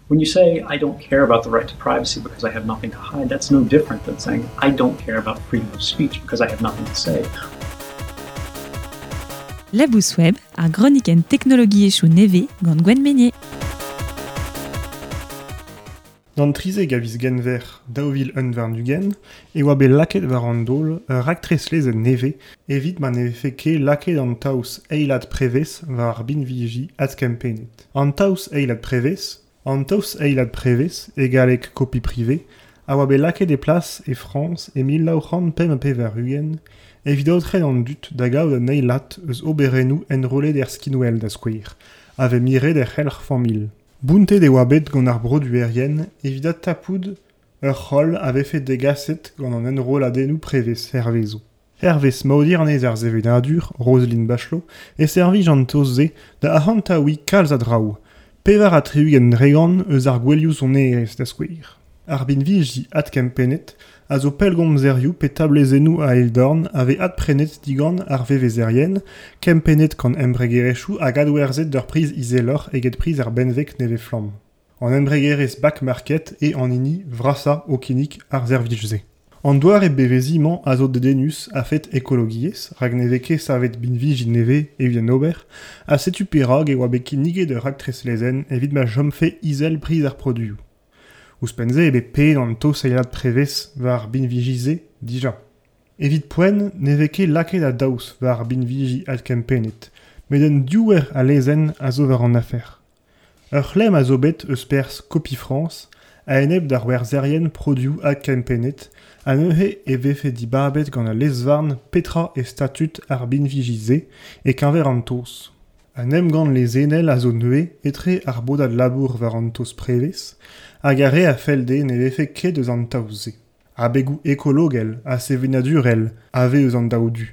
When you say, I don't care about the right to privacy because I have nothing to hide, that's no different than saying, I don't care about freedom of speech because I have nothing to say. Labous Web, ar gronikenn teknologiezhioù nevez gant Gwenn Meynier. D'an 13 a viz Genver 2021 e oa bet lakaet war an daol ur raktres lezenn nevez evit ma ne vefe ket lakaet an taos eilad prevez war ar binviji adkempennet. An taos eilad prevez, An taos eilad prevez, e galleg copie privée, a oa bet lakaet e plas e Frañs e 1985 evit aotren an dud da gaout un eilad eus oberennoù enrollet er skinwel da skouer, a vez miret er c'helc'h familh. Bountet e oa bet gant ar broduerien evit adtapout ur c'holl a vefe degaset gant an enrolladennoù prevez hervezo. Hervez maodiernez ar sevenadur, Roselyne Bachelot, e servij an taos-se da arc'hantaouiñ kalz a draoù, 64 dregont eus ar gouelioù sonerezh da skouer. Ar binviji adkempennet a zo pellgomzerioù pe tablezennoù a-eil-dorn a vez adprenet digant ar vevezerien, kempennet gant embregerezhioù hag adwerzhet d'ur priz izeloc'h eget priz ar benveg nevez-flamm. An embregerezh Back Market eo an hini vrasañ o kinnig ar servij-se. An doare beveziñ-mañ a zo dedennus a-fet ekologiezh rak ne vez ket savet binviji nevez evit en ober ha setu perak e oa bet kinniget ur raktres lezenn evit ma chomfe izel priz ar produioù. Ouzhpenn-se eo bet paeet an taosailhad prevez war ar binviji-se dija. Evit poent ne vez ket lakaet a daos war ar binviji adkempennet met un diouer a lezenn a zo war an afer. Ur c'hlemm a zo bet eus perzh Copie France a-enep d'ar werzherien produoù adkempennet ha neuze e vefe dibabet gant al lez-varn petra eo statud ar binviji-se e-keñver an taos. Un emgann lezennel a zo neuze etre ar bodad labour war an taos prevez hag ar re a fell dezhe ne vefe ket eus an taos-se. Abegoù ekologel ha sevenadurel a vez eus an daou du,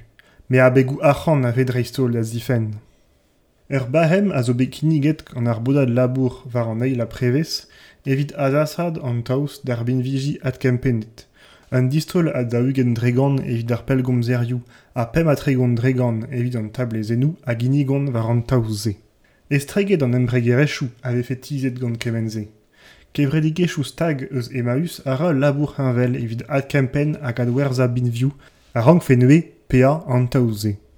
met abegoù arc'hant a vez dreist-holl da zifenn. Ur bahem a zo bet kinniget gant ar bodad labour war an eil prevez evit azasaat an taos d'ar binviji adkempennet. Un distaol a 40% evit ar pellgomzerioù ha 35% evit an tablezennoù a ginnigont war an taos-se. Estreget an embregerezhioù a vefe tizhet gant kement-se. Kevredigezhioù stag eus Emmaüs a ra ul labour heñvel evit adkempenn hag adwerzhañ binvioù a rankfe neuze paeañ an taos-se.